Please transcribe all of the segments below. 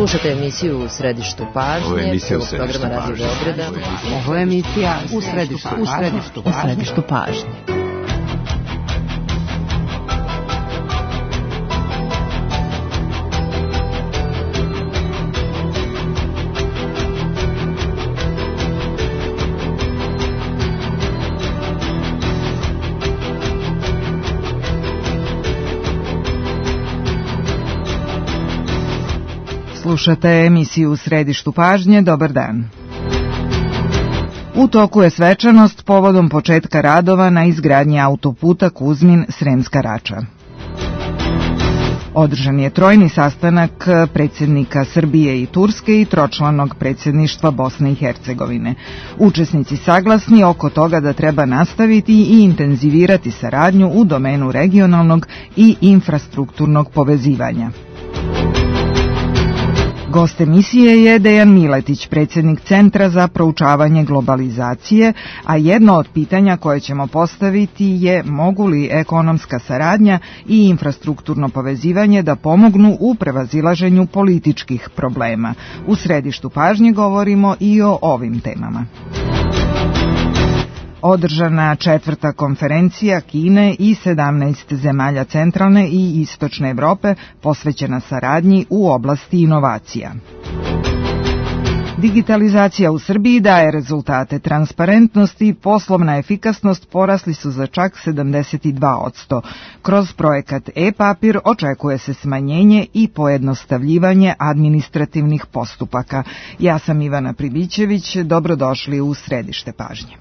Slušate emisiju U središtu pažnje. Ovo je emisija U središtu pažnje. Ovo je emisija U središtu pažnje. Slušate emisiju U središtu pažnje, dobar dan. U toku je svečanost povodom početka radova na izgradnji autoputa Kuzmin-Sremska Rača. Održan je trojni sastanak predsjednika Srbije i Turske i tročlanog predsjedništva Bosne i Hercegovine. Učesnici saglasni oko toga da treba nastaviti i intenzivirati saradnju u domenu regionalnog i infrastrukturnog povezivanja. Gost emisije je Dejan Miletić, predsjednik Centra za proučavanje globalizacije, a jedno od pitanja koje ćemo postaviti je mogu li ekonomska saradnja i infrastrukturno povezivanje da pomognu u prevazilaženju političkih problema. U središtu pažnje govorimo i o ovim temama. Održana četvrta konferencija Kine i 17 zemalja centralne i istočne Evrope posvećena saradnji u oblasti inovacija. Digitalizacija u Srbiji daje rezultate. Transparentnost i poslovna efikasnost porasli su za čak 72%. Kroz projekat e-papir očekuje se smanjenje i pojednostavljivanje administrativnih postupaka. Ja sam Ivana Pribićević, dobrodošli u središte pažnje.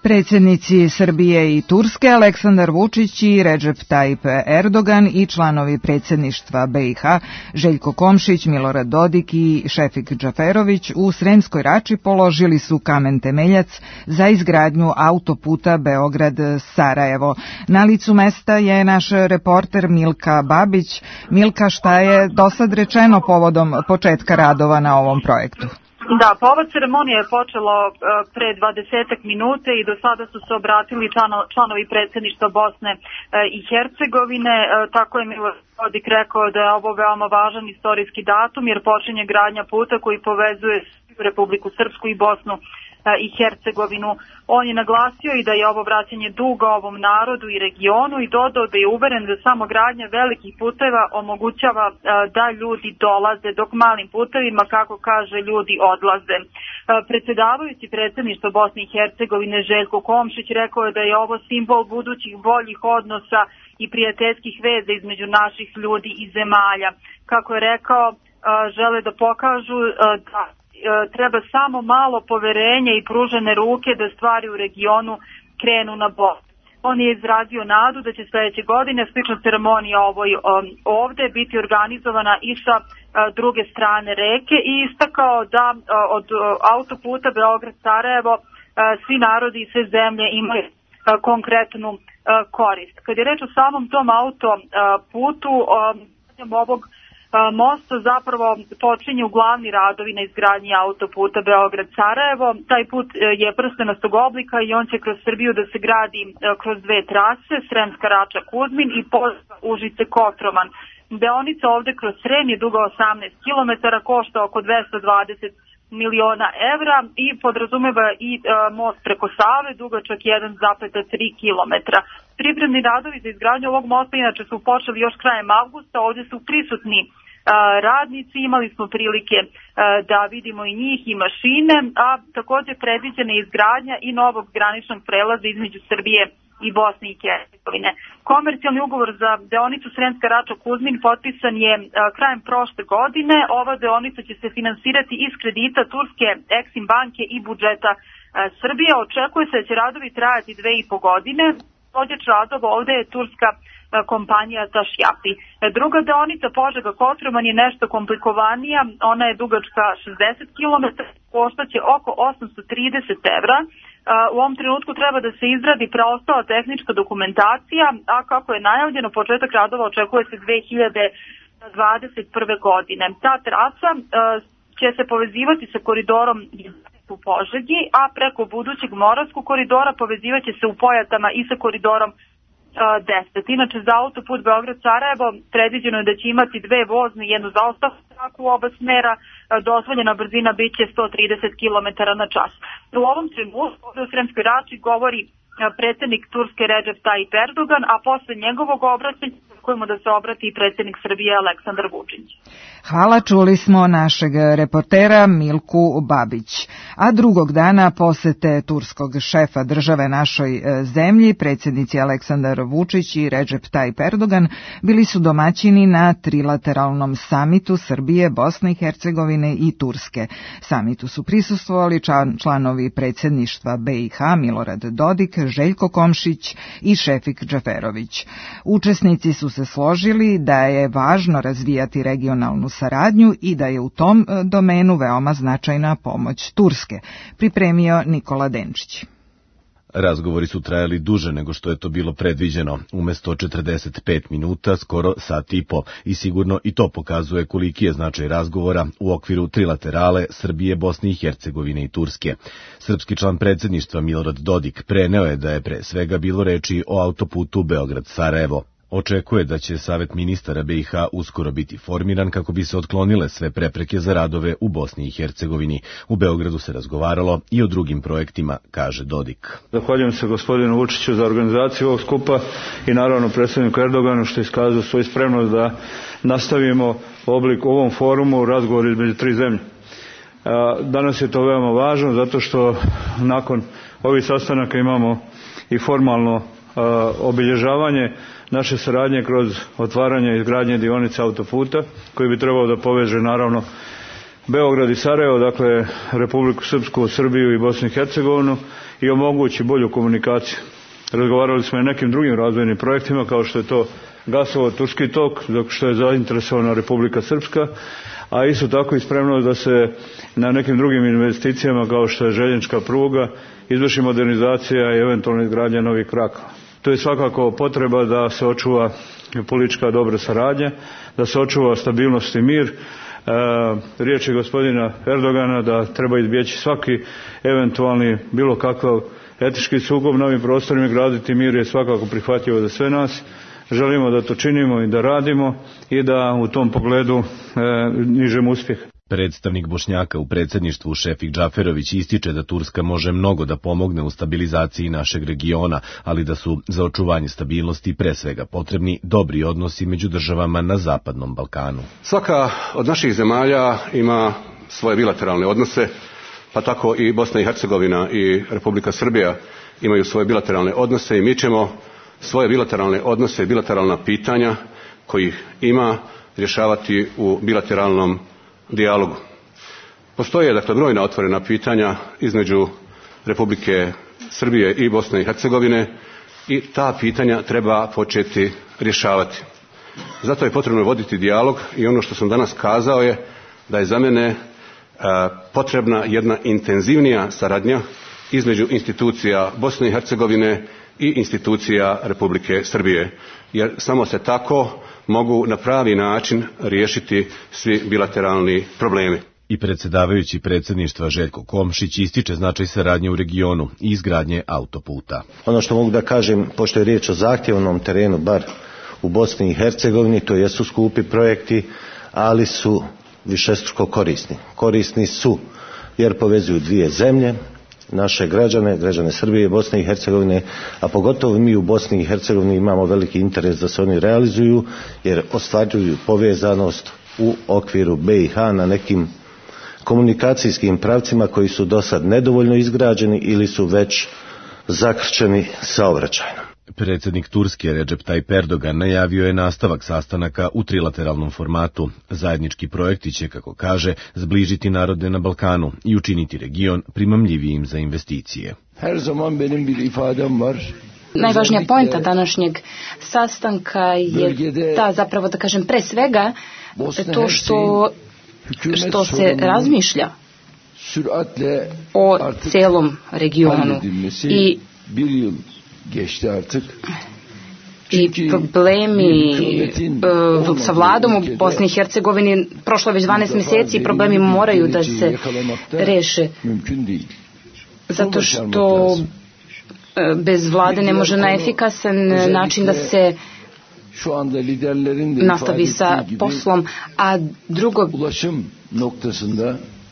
Predsjednici Srbije i Turske Aleksandar Vučić i Recep Tayyip Erdogan i članovi predsjedništva BiH Željko Komšić, Milorad Dodik i Šefik Džaferović u Sremskoj Rači položili su kamen temeljac za izgradnju autoputa Beograd-Sarajevo. Na licu mesta je naš reporter Milka Babić. Milka, šta je dosad rečeno povodom početka radova na ovom projektu? Da, povod ceremonije je počelo pre 20 minuta i do sada su se obratili članovi predsjedništva Bosne i Hercegovine. Tako je Milorad Dodik rekao da je ovo veoma važan istorijski datum jer počinje gradnja puta koji povezuje Republiku Srpsku i Bosnu i Hercegovinu. On je naglasio i da je ovo vraćanje duga ovom narodu i regionu i dodao da je uveren da samo gradnja velikih puteva omogućava da ljudi dolaze, dok malim putevima, kako kaže, ljudi odlaze. Predsjedavajući predsjedništvo Bosne i Hercegovine Željko Komšić rekao je da je ovo simbol budućih boljih odnosa i prijateljskih veza između naših ljudi i zemalja. Kako je rekao, žele da pokažu da treba samo malo poverenja i pružene ruke da stvari u regionu krenu na bolje. On je izrazio nadu da će sljedeće godine slična ceremonija ovdje biti organizovana i sa druge strane reke i istakao da od autoputa Beograd-Sarajevo svi narodi i sve zemlje imaju konkretnu korist. Kad je reč o samom tom autoputu, ovog mosta zapravo počinju glavni radovi na izgradnji autoputa Beograd-Sarajevo. Taj put je prstenastog oblika i on će kroz Srbiju da se gradi kroz dve trase, Sremska Rača-Kuzmin i Užice-Kotroman. Deonica ovde kroz Srem je duga 18 km, košta oko 220 miliona evra i podrazumeva i most preko Save, dugačak 1,3 kilometra. Pripremni radovi za izgradnju ovog mosta inače su počeli još krajem avgusta, ovdje su prisutni radnici, imali smo prilike da vidimo i njih i mašine, a također predviđena je izgradnja i novog graničnog prelaza između Srbije i Bosne i Hercegovine. Komercijalni ugovor za deonicu Sremska Rača-Kuzmin potpisan je krajem prošle godine. Ova deonica će se finansirati iz kredita turske Eksim banke i budžeta Srbije. Očekuje se da će radovi trajati 2,5 godine. Izvođač radova ovdje je turska kompanija Tašjapi. Druga deonica Požega-Kotroman je nešto komplikovanija, ona je dugačka 60 km, koštaće oko 830 evra. U ovom trenutku treba da se izradi preostala tehnička dokumentacija, a kako je najavljeno, početak radova očekuje se 2021. godine. Ta trasa će se povezivati sa koridorom u Požegi, a preko budućeg Moravskog koridora povezivat će se u Pojatama i sa koridorom 10. Inače, za autoput Beograd-Sarajevo predviđeno je da će imati 2 vozne i jednu zaustavnu traku u oba smera. Dozvoljena brzina bit će 130 km na čas. U ovom trenutku u Sremskoj Rači govori predsjednik Turske Recep Tayyip Erdogan, a posle njegovog obraćanja očekujemo da se obrati i predsjednik Srbije Aleksandar Vučić. Hvala, čuli smo našeg reportera Milku Babić. A drugog dana posete turskog šefa države našoj zemlji, predsjednici Aleksandar Vučić i Recep Tayyip Erdogan, bili su domaćini na trilateralnom samitu Srbije, Bosne i Hercegovine i Turske. Samitu su prisustvovali članovi predsjedništva BiH Milorad Dodik, Željko Komšić i Šefik Džaferović. Učesnici su se složili da je važno razvijati regionalnu saradnju i da je u tom domenu veoma značajna pomoć Turske, pripremio Nikola Denčić. Razgovori su trajali duže nego što je to bilo predviđeno, umjesto 45 minuta, skoro sat i po, i sigurno i to pokazuje koliki je značaj razgovora u okviru trilaterale Srbije, Bosne i Hercegovine i Turske. Srpski član predsjedništva Milorad Dodik preneo je da je pre svega bilo reči o autoputu Beograd-Sarajevo. Očekuje da će Savet ministara BiH uskoro biti formiran kako bi se otklonile sve prepreke za radove u Bosni i Hercegovini. U Beogradu se razgovaralo i o drugim projektima, kaže Dodik. Zahvaljujem se gospodinu Vučiću za organizaciju ovog skupa i naravno predsjedniku Erdoganu što je iskazao svoju spremnost da nastavimo u ovom forumu razgovor između 3 zemlje. Danas je to veoma važno zato što nakon ovih sastanaka imamo i formalno obilježavanje naše saradnje kroz otvaranje i izgradnje dionice autoputa koji bi trebao da poveže naravno Beograd i Sarajevo, dakle Republiku Srpsku, Srbiju i Bosnu i Hercegovinu i omogući bolju komunikaciju. Razgovarali smo i nekim drugim razvojnim projektima kao što je to gasovod Turski tok, dok što je zainteresovana Republika Srpska, a isto tako i spremnost da se na nekim drugim investicijama kao što je željeznička pruga izvrši modernizacija i eventualno izgradnja novih krakova. To je svakako potreba da se očuva politička dobra saradnja, da se očuva stabilnost i mir. Riječ je gospodina Erdogana da treba izbjeći svaki eventualni bilo kakav etički sukob na ovim prostorima, graditi mir je svakako prihvatljivo za sve nas. Želimo da to činimo i da radimo i da u tom pogledu nižemo uspjeh. Predstavnik Bošnjaka u predsjedništvu Šefik Džaferović ističe da Turska može mnogo da pomogne u stabilizaciji našeg regiona, ali da su za očuvanje stabilnosti pre svega potrebni dobri odnosi među državama na Zapadnom Balkanu. Svaka od naših zemalja ima svoje bilateralne odnose, pa tako i Bosna i Hercegovina i Republika Srbija imaju svoje bilateralne odnose i mi ćemo svoje bilateralne odnose i bilateralna pitanja kojih ima rješavati u bilateralnom dijalogu. Postoje dakle brojna otvorena pitanja između Republike Srbije i Bosne i Hercegovine i ta pitanja treba početi rješavati. Zato je potrebno voditi dijalog i ono što sam danas kazao je da je za mene potrebna jedna intenzivnija saradnja između institucija Bosne i Hercegovine i institucija Republike Srbije, jer samo se tako mogu na pravi način riješiti svi bilateralni problemi. I predsjedavajući predsjedništva Željko Komšić ističe značaj saradnje u regionu i izgradnje autoputa. Ono što mogu da kažem, pošto je riječ o zahtjevnom terenu, bar u Bosni i Hercegovini, to jesu skupi projekti, ali su višestruko korisni. Korisni su jer povezuju dvije zemlje, naše građane Srbije i Bosne i Hercegovine, a pogotovo mi u Bosni i Hercegovini imamo veliki interes da se oni realizuju, jer ostvaruju povezanost u okviru BiH na nekim komunikacijskim pravcima koji su do sad nedovoljno izgrađeni ili su već zakrčeni saobraćajno. Predsjednik Turske Recep Tayyip Erdogan najavio je nastavak sastanaka u trilateralnom formatu. Zajednički projekti će, kako kaže, zbližiti narode na Balkanu i učiniti region primamljivijim za investicije. Najvažnija pointa današnjeg sastanka je ta, zapravo da kažem, pre svega to što se razmišlja o celom regionu i problemi sa vladom u Bosni i Hercegovini prošlo već 12 mjeseci i problemi moraju da se reše, zato što bez vlade ne može na efikasan način da se nastavi sa poslom, a drugo,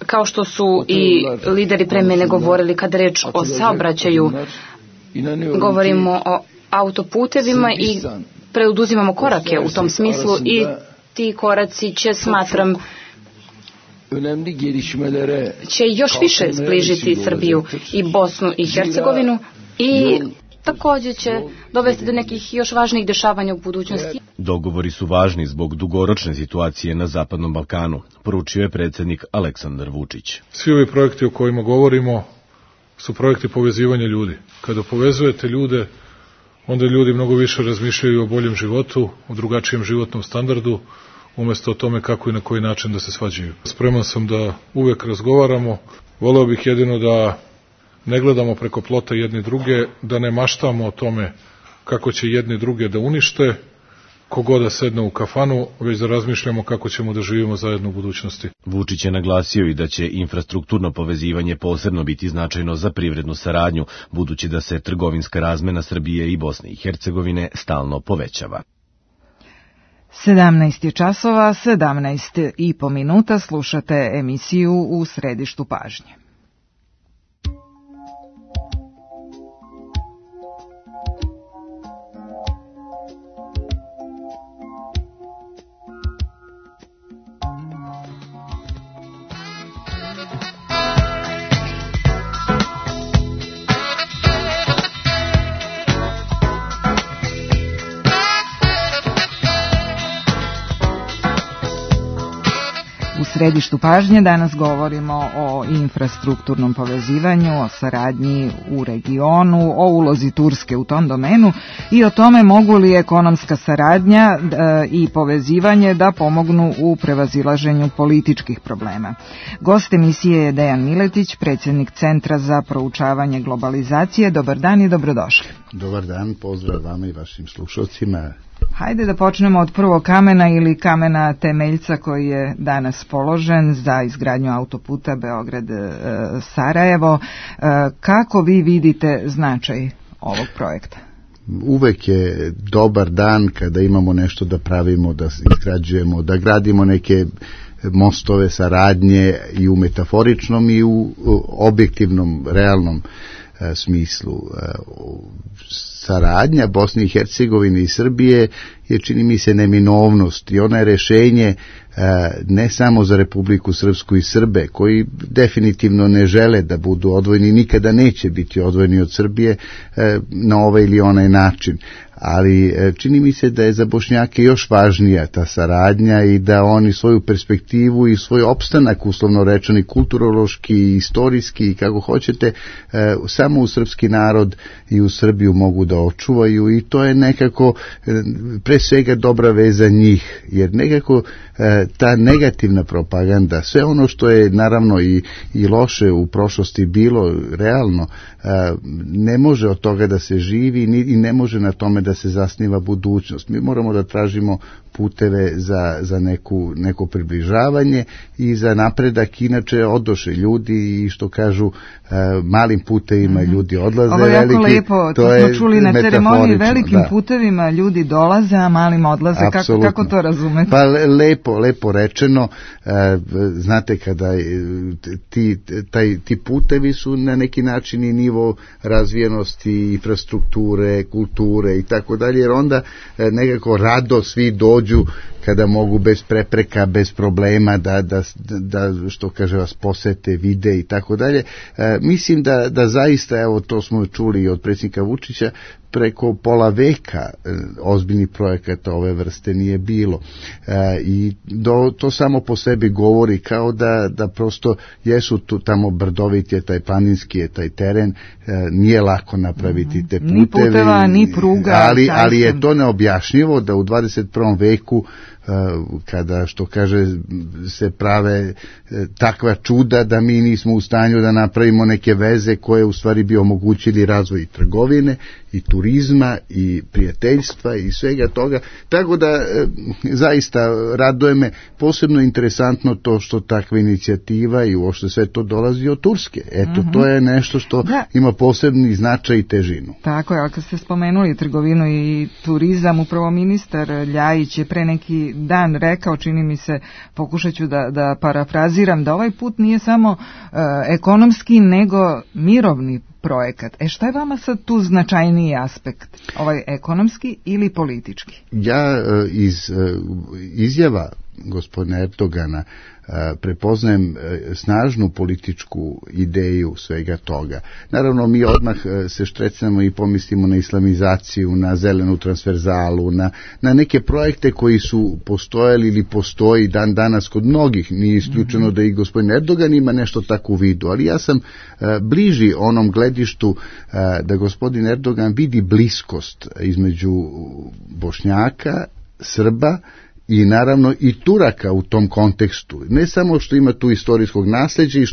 kao što su i lideri pre mene govorili, kada reč o saobraćaju, govorimo o autoputevima i preduzimamo korake u tom smislu i ti koraci će, smatram, će još više zbližiti Srbiju i Bosnu i Hercegovinu i također će dovesti do nekih još važnijih dešavanja u budućnosti. Dogovori su važni zbog dugoročne situacije na Zapadnom Balkanu, poručio je predsjednik Aleksandar Vučić. Svi ovi projekti o kojima govorimo su projekti povezivanja ljudi. Kada povezujete ljude, onda ljudi mnogo više razmišljaju o boljem životu, o drugačijem životnom standardu, umjesto o tome kako i na koji način da se svađaju. Spreman sam da uvek razgovaramo. Voleo bih jedino da ne gledamo preko plota jedni druge, da ne maštamo o tome kako će jedni druge da unište, kogoda da sedne u kafanu, već da razmišljamo kako ćemo da živimo zajedno u budućnosti. Vučić je naglasio i da će infrastrukturno povezivanje posebno biti značajno za privrednu saradnju, budući da se trgovinska razmena Srbije i Bosne i Hercegovine stalno povećava. 17 je časova, 17,5 minuta, slušate emisiju U središtu pažnje. U središtu pažnje danas govorimo o infrastrukturnom povezivanju, o saradnji u regionu, o ulozi Turske u tom domenu i o tome mogu li ekonomska saradnja i povezivanje da pomognu u prevazilaženju političkih problema. Gost emisije je Dejan Miletić, predsjednik Centra za proučavanje globalizacije. Dobar dan i dobrodošli. Dobar dan, pozdrav vama i vašim slušalcima. Hajde da počnemo od prvog kamena ili kamena temeljca koji je danas položen za izgradnju autoputa Beograd-Sarajevo. Kako vi vidite značaj ovog projekta? Uvek je dobar dan kada imamo nešto da pravimo, da izgrađujemo, da gradimo neke mostove saradnje i u metaforičnom i u objektivnom, realnom smislu. Saradnja Bosne i Hercegovine i Srbije je, čini mi se, neminovnost i ona je rešenje ne samo za Republiku Srpsku i Srbe, koji definitivno ne žele da budu odvojeni, nikada neće biti odvojeni od Srbije na ovaj ili onaj način. Ali čini mi se da je za Bošnjake još važnija ta saradnja i da oni svoju perspektivu i svoj opstanak, uslovno rečeni, kulturološki, istorijski i kako hoćete, samo u srpski narod i u Srbiju mogu da očuvaju i to je nekako pre svega dobra veza za njih, jer nekako ta negativna propaganda, sve ono što je naravno i loše u prošlosti bilo realno, ne može od toga da se živi i ne može na tome da se zasniva budućnost. Mi moramo da tražimo puteve za neko približavanje i za napredak, inače odoše ljudi i što kažu malim putevima ljudi odlaze. Ovo je jako lepo, to smo čuli na ceremoniji, velikim putevima ljudi dolaze, a malim odlaze. Kako to razumete? Pa lepo lepo rečeno, znate kada ti putevi su na neki način i nivo razvijenosti, infrastrukture, kulture i tako dalje, jer onda nekako rado svi dođu kada mogu bez prepreka, bez problema da što kaže vas posete, vide i tako dalje. Mislim da zaista, evo to smo čuli od predsjednika Vučića, preko pola veka ozbiljnih projekata ove vrste nije bilo. I to samo po sebi govori kao da prosto jesu tu tamo brdovit je taj planinski je taj teren, nije lako napraviti te puteve. Ni puteva, ni pruga. Ali je to neobjašnjivo da u 21. veku kada, što kaže, se prave takva čuda da mi nismo u stanju da napravimo neke veze koje u stvari bi omogućili razvoj i trgovine i turizma i prijateljstva i svega toga. Tako da zaista raduje me, posebno interesantno to što takva inicijativa i uopšte sve to dolazi od Turske. Eto, to je nešto što ima posebni značaj i težinu. Tako je, ali kad ste spomenuli trgovinu i turizam, upravo ministar Ljajić je pre neki dan rekao, čini mi se, pokušat ću da parafraziram, da ovaj put nije samo ekonomski, nego mirovni projekat. Šta je vama sad tu značajniji aspekt? Ovaj ekonomski ili politički? Ja iz izjava gospodina Erdogana prepoznajem snažnu političku ideju svega toga. Naravno, mi odmah se štrecnemo i pomislimo na islamizaciju, na zelenu transverzalu, na neke projekte koji su postojali ili postoji dan danas kod mnogih. Nije isključeno da i gospodin Erdogan ima nešto tako u vidu, ali ja sam bliži onom gledištu da gospodin Erdogan vidi bliskost između Bošnjaka, Srba i naravno i Turaka u tom kontekstu. Ne samo što ima tu istorijskog nasljeđa i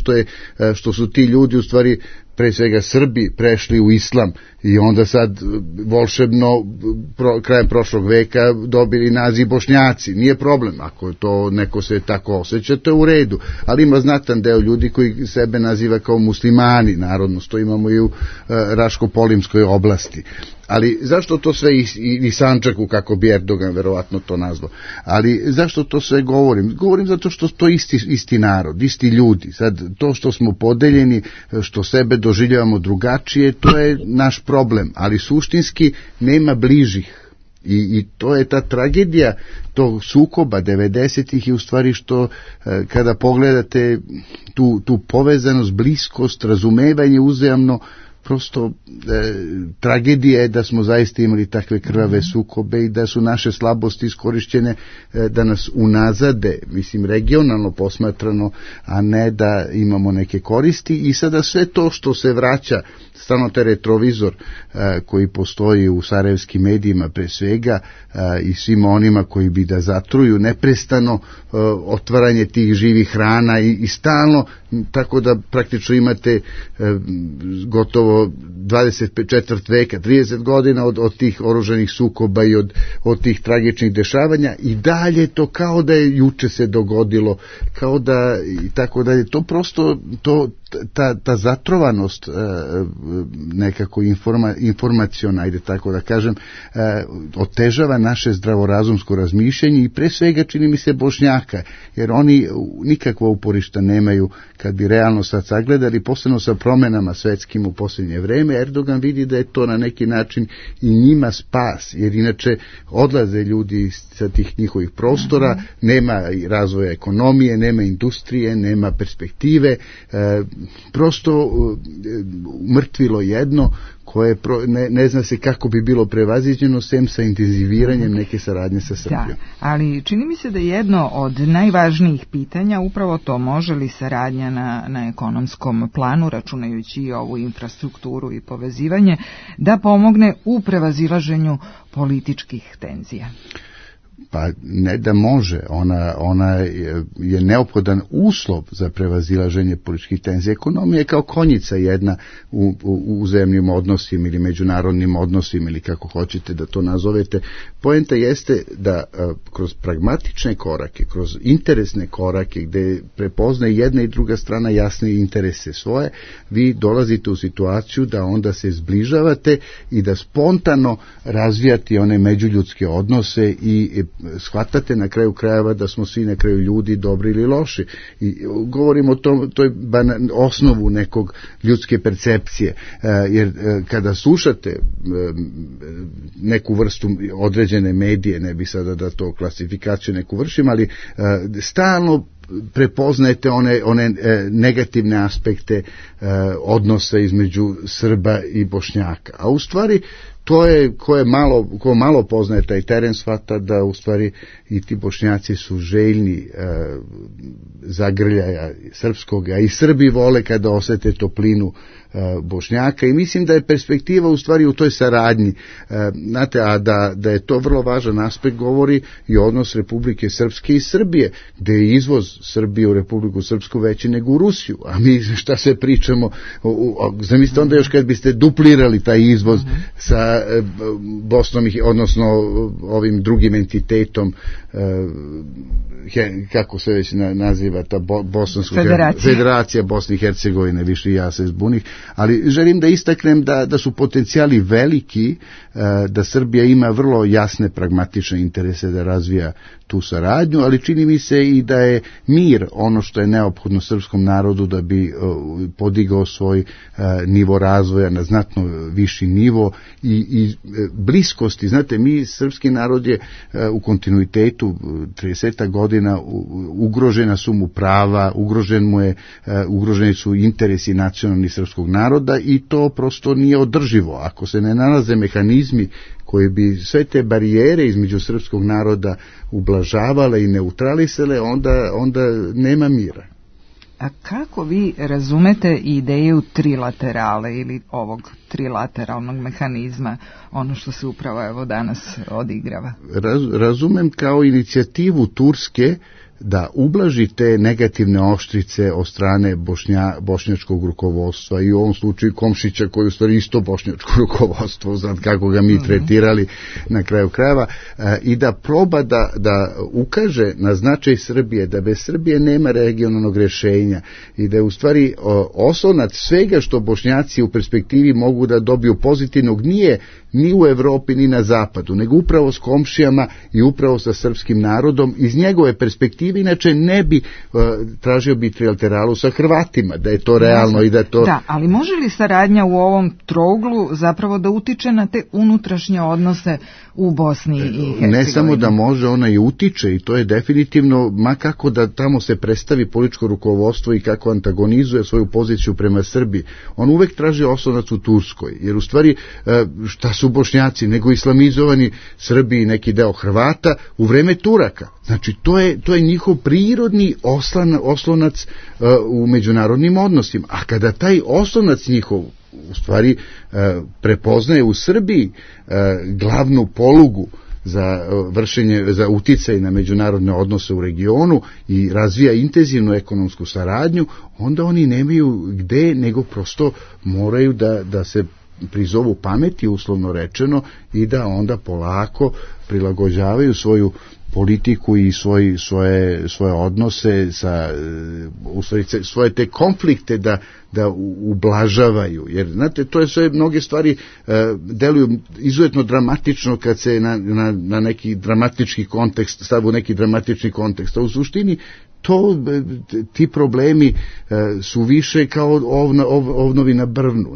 što su ti ljudi u stvari pre svega Srbi prešli u islam i onda sad volšebno krajem prošlog veka dobili naziv Bošnjaci. Nije problem, ako to neko se tako osjeća, to je u redu, ali ima znatan deo ljudi koji sebe naziva kao muslimani, narodnost, to imamo i u Raško-Polimskoj oblasti. Ali zašto to sve i Sandžaku, kako bi Erdogan verovatno to nazvao, ali zašto to sve govorim? Govorim zato što to isti narod, isti ljudi. Sad, to što smo podeljeni, što sebe doživljavamo drugačije, to je naš problem, ali suštinski nema bližih. I to je ta tragedija tog sukoba 90-ih i u stvari što kada pogledate tu povezanost, bliskost, razumevanje uzajamno, prosto tragedija je da smo zaista imali takve krvave sukobe i da su naše slabosti iskorišćene da nas unazade, mislim regionalno posmatrano, a ne da imamo neke koristi. I sada sve to što se vraća, stalno taj retrovizor koji postoji u sarajevskim medijima pre svega i svima onima koji bi da zatruju neprestano otvaranje tih živih rana i stalno, tako da praktično imate gotovo 24 veka, 30 godina od tih oružanih sukoba i od tih tragičnih dešavanja i dalje to kao da je juče se dogodilo, kao da i tako dalje. To prosto, ta zatrovanost nekako informaciona, ajde tako da kažem, otežava naše zdravorazumsko razmišljanje i pre svega čini mi se Bošnjaka, jer oni nikakva uporišta nemaju kad bi realno sad sagledali, posebno sa promenama svetskim u posljednje vreme. Erdogan vidi da je to na neki način i njima spas, jer inače odlaze ljudi sa tih njihovih prostora, nema razvoja ekonomije, nema industrije, nema perspektive, prosto mrtvilo jedno koje ne zna se kako bi bilo prevaziđeno sem sa intenziviranjem neke saradnje sa Srbijom. Da, ali čini mi se da je jedno od najvažnijih pitanja upravo to, može li saradnja na ekonomskom planu, računajući i ovu infrastrukturu i povezivanje, da pomogne u prevazilaženju političkih tenzija. Pa ne da može, ona je neophodan uslov za prevazilaženje političkih tenzija. Ekonomija je kao konjica jedna u zemljim odnosima ili međunarodnim odnosima ili kako hoćete da to nazovete. Poenta jeste da kroz pragmatične korake, kroz interesne korake gde prepoznaje jedna i druga strana jasne interese svoje, vi dolazite u situaciju da onda se zbližavate i da spontano razvijate one međuljudske odnose i shvatate na kraju krajeva da smo svi na kraju ljudi dobri ili loši. I govorimo o toj osnovu nekog ljudske percepcije, jer kada slušate neku vrstu određene medije, ne bi sada da to klasifikaciju neku vršim, ali stalno prepoznajete one negativne aspekte odnosa između Srba i Bošnjaka. A u stvari to je, ko malo poznaje taj teren, shvata da u stvari i ti Bošnjaci su željni zagrljaja srpskog, a i Srbi vole kada osete toplinu Bošnjaka i mislim da je perspektiva u stvari u toj saradnji. Znate, a da je to vrlo važan aspekt govori i odnos Republike Srpske i Srbije, gde je izvoz Srbije u Republiku Srpsku veći nego u Rusiju, a mi šta se pričamo, zamislite onda još kad biste duplirali taj izvoz sa Bosnom, odnosno ovim drugim entitetom, kako se već naziva ta Bosanska Federacija Bosne i Hercegovine, više ja se zbunih, ali želim da istaknem da su potencijali veliki, da Srbija ima vrlo jasne pragmatične interese da razvija tu saradnju, ali čini mi se i da je mir ono što je neophodno srpskom narodu da bi podigao svoj nivo razvoja na znatno viši nivo i bliskosti. Znate, srpski narod je u kontinuitetu 30 godina ugrožena su mu prava, ugroženi su interesi nacionalni srpskog naroda i to prosto nije održivo. Ako se ne nalaze mehanizmi koji bi sve te barijere između srpskog naroda ublažavale i neutralisale, onda nema mira. A kako vi razumete ideju trilaterale ili ovog trilateralnog mehanizma, ono što se upravo danas odigrava? Razumem kao inicijativu Turske da ublaži te negativne oštrice od strane bošnjačkog rukovodstva i u ovom slučaju Komšića koji u stvari isto bošnjačko rukovodstvo, znam kako ga mi tretirali na kraju krajeva, i da proba da ukaže na značaj Srbije, da bez Srbije nema regionalnog rješenja i da je u stvari oslonac svega što Bošnjaci u perspektivi mogu da dobiju pozitivnog nije ni u Evropi ni na zapadu, nego upravo s komšijama i upravo sa srpskim narodom. Iz njegove perspektive inače ne bi tražio bi trilateralu sa Hrvatima, da je to realno i da to... Da, ali može li saradnja u ovom trouglu zapravo da utiče na te unutrašnje odnose u Bosni i Hercegovini? Ne samo da može, ona i utiče i to je definitivno, ma kako da tamo se predstavi političko rukovodstvo i kako antagonizuje svoju poziciju prema Srbiji. On uvek traži oslonac u Turskoj, jer u stvari šta su Bošnjaci, nego islamizovani Srbi i neki deo Hrvata u vreme Turaka. Znači, to je njihov prirodni oslonac u međunarodnim odnosima. A kada taj oslonac njihov u stvari prepoznaje u Srbiji glavnu polugu za uticaj na međunarodne odnose u regionu i razvija intenzivnu ekonomsku saradnju, onda oni nemaju gde, nego prosto moraju da se prizovu pameti, uslovno rečeno, i da onda polako prilagođavaju svoju politiku i svoje odnose svoje te konflikte da ublažavaju, jer znate, to je sve, mnoge stvari deluju izuzetno dramatično kad se na neki dramatički kontekst stavu neki dramatični kontekst, a u suštini ti problemi su više kao ovnovi na brvnu.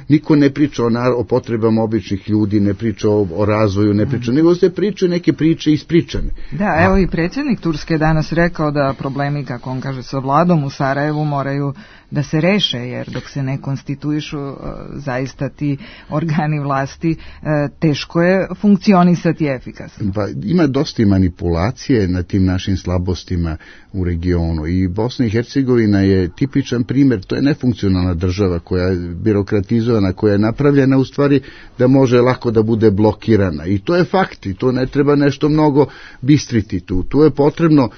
Niko ne priča o potrebama običnih ljudi, ne priča o razvoju, ne priča, nego se pričaju neke priče ispričane. Da, evo i predsjednik Turske danas rekao da problemi, kako on kaže, sa vladom u Sarajevu moraju da se reše, jer dok se ne konstituišu zaista ti organi vlasti, teško je funkcionisati efikasno. Pa, ima dosta manipulacije na tim našim slabostima u regionu i Bosna i Hercegovina je tipičan primjer. To je nefunkcionalna država koja je birokratizovana, koja je napravljena u stvari da može lako da bude blokirana i to je fakt i to ne treba nešto mnogo bistriti tu je potrebno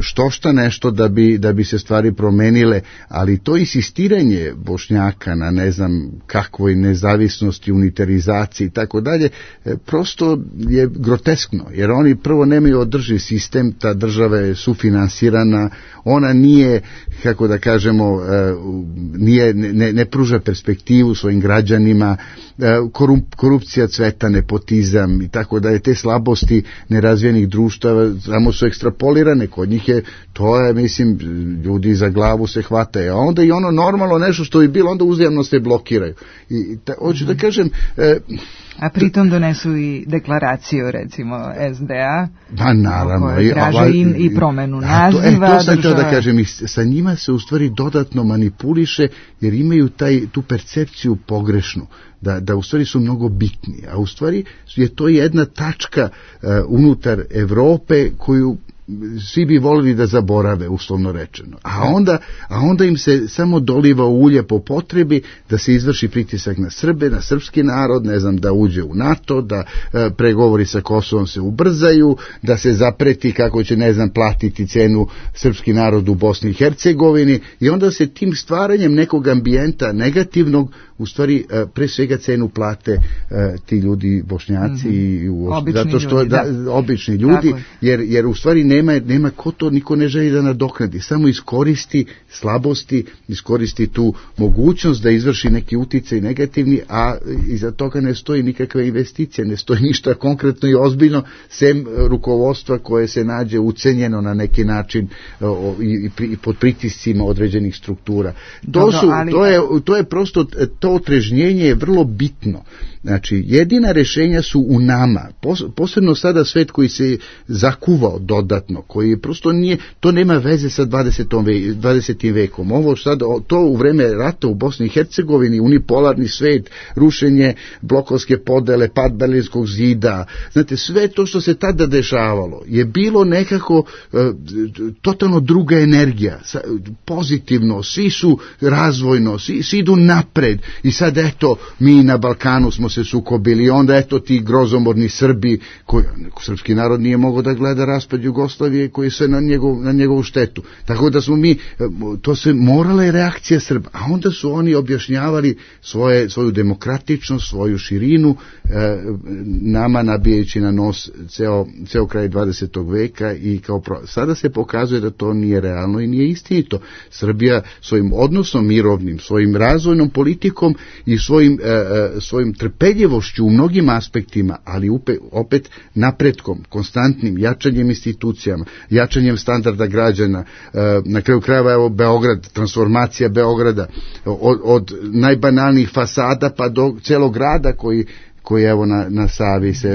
štošta nešto da bi se stvari promenile, ali to insistiranje Bošnjaka na ne znam kakvoj nezavisnosti, unitarizaciji i tako dalje, prosto je groteskno, jer oni prvo nemaju održiv sistem, ta država je sufinansirana, ona nije, kako da kažemo, ne pruža perspektivu svojim građanima, korupcija cveta, nepotizam i tako dalje, te slabosti nerazvijenih društava samo su ekstrapolirane, kod njih je, to je, mislim, ljudi za glavu se hvataju, a onda i ono normalno nešto što bi bilo, onda uzajamno se blokiraju. Hoću da kažem... A pritom donesu i deklaraciju, recimo, SDA, naravno, koja traže i promenu naziva. To sam htio da kažem, sa njima se u stvari dodatno manipuliše, jer imaju tu percepciju pogrešnu, da u stvari su mnogo bitni, a u stvari je to jedna tačka unutar Evrope koju svi bi volili da zaborave, uslovno rečeno. A onda im se samo doliva ulje po potrebi da se izvrši pritisak na Srbe, na srpski narod, ne znam, da uđe u NATO, da pregovori sa Kosovom se ubrzaju, da se zapreti kako će, ne znam, platiti cenu srpski narod u Bosni i Hercegovini, i onda se tim stvaranjem nekog ambijenta negativnog, u stvari pre svega cenu plate ti ljudi Bošnjaci, zato što obični ljudi, jer u stvari nema ko to, niko ne želi da nadoknadi, samo iskoristi slabosti, iskoristi tu mogućnost da izvrši neki uticaj negativni, a iza toga ne stoji nikakva investicija, ne stoji ništa konkretno i ozbiljno, sem rukovodstva koje se nađe ucenjeno na neki način i pod pritiscima određenih struktura. To je prosto, to otrežnjenje je vrlo bitno. Znači, jedina rješenja su u nama, posebno sada svet koji se zakuvao dodatno, koji prosto nije, to nema veze sa 20. vekom. Ovo sada, to u vreme rata u Bosni i Hercegovini, unipolarni svet, rušenje blokovske podele, pad Berlinskog zida, znate, sve to što se tada dešavalo je bilo nekako totalno druga energija, pozitivno, svi su razvojno, svi idu napred, i sad eto, mi na Balkanu smo se sukobili, onda eto ti grozomorni Srbi, srpski narod nije mogao da gleda raspad Jugoslavije koji je sve na njegovu štetu. Tako da smo mi, to se morala je reakcija Srba, a onda su oni objašnjavali svoju demokratičnost, svoju širinu, nama nabijajući na nos ceo kraj 20. veka i sada se pokazuje da to nije realno i nije istinito. Srbija svojim odnosom mirovnim, svojim razvojnom politikom i svojim trpeljivošću u mnogim aspektima, ali opet napretkom, konstantnim jačanjem institucijama, jačanjem standarda građana, na kraju krajeva evo Beograd, transformacija Beograda, od najbanalnijih fasada pa do celog grada koji evo na Savi se...